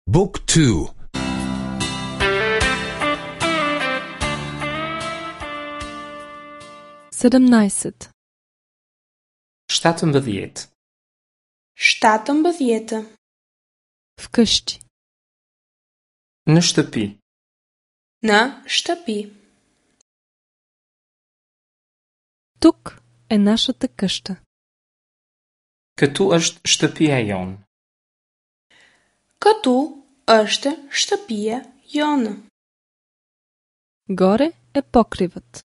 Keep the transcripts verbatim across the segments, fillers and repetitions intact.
Book two. Седемнайсет. Shtatëmbëdhjetë. Shtatëmbëdhjetë. Вкъщи. Në shtëpi. Në shtëpi. Тук е нашата къща. Këtu është shtëpia jonë. Këtu është shtëpia jonë. Горе е покривът.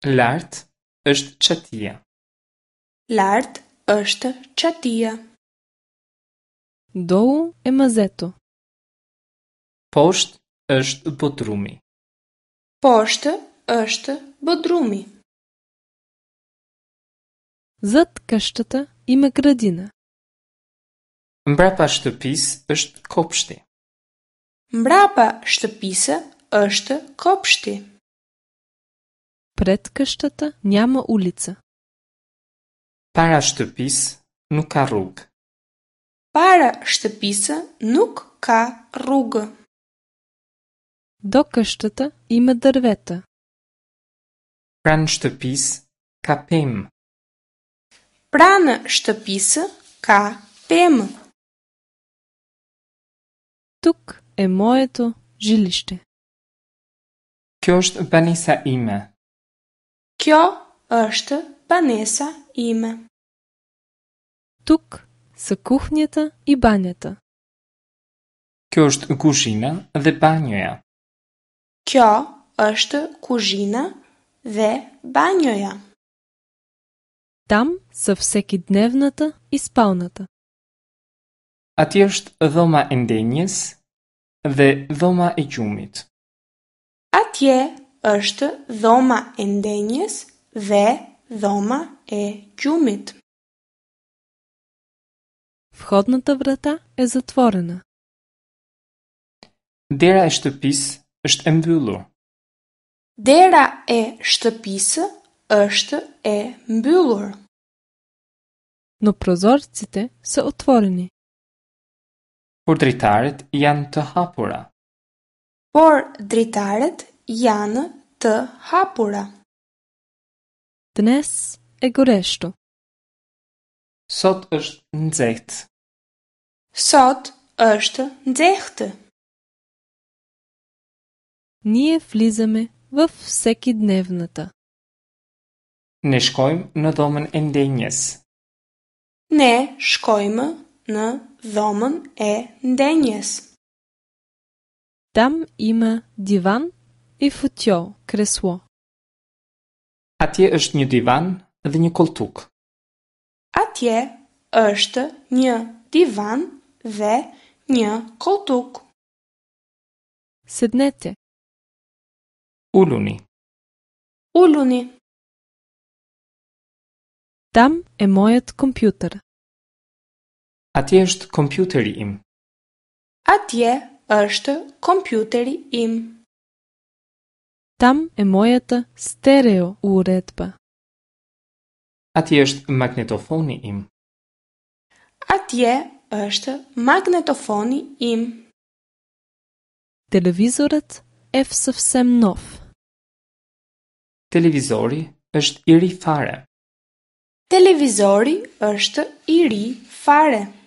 Lart është çatia. Lart është çatia. Долу е мазето. Poshtë është bodrumi. Poshtë është bodrumi. Зад къщата има градина. Mbrapa shtëpisë është kopshti. Mbrapa shtëpisë është kopshti. Пред къщата няма улица. Para shtëpisë nuk ka rrugë. Para shtëpisë nuk ka rrugë. До къщата има дървета. Pranë shtëpisë ka pemë. Pranë shtëpisë ka pemë. Тук е моето жилище. Kjo është banesa ime. Kjo është banesa ime. Тук са кухнята и банята. Kjo është kuzhina dhe banjoja. Kjo është kuzhina dhe banjoja. Там са всекидневната и спалнята. Atje është dhoma e ndenjes dhe dhoma e gjumit. Atje është dhoma e ndenjes dhe dhoma e gjumit. Входната врата е затворена. Dera e shtëpisë është e mbyllur. Dera e shtëpisë është e mbyllur. Но прозорците са отворени. Por dritaret janë të hapura. Por dritaret janë të hapura. Днес е горещо. Sot është nxehtë. Sot është nxehtë. Ние влизаме във всекидневната. Ne shkojmë në dhomën e ndenjes. Ne shkojmë në dhomën e ndenjes. Там има диван и фотьол, кресло. Atje është një divan dhe një koltuk. Atje është një divan dhe një koltuk. Седнете. Uluni. Uluni. Там е моят компютър. Atje është kompjuteri im. Atje është kompjuteri im. Там е моята стерео уредба. Atje është magnetofoni im. Atje është magnetofoni im. Телевизорът е съвсем нов. Televizori është i ri fare. Televizori është i ri fare.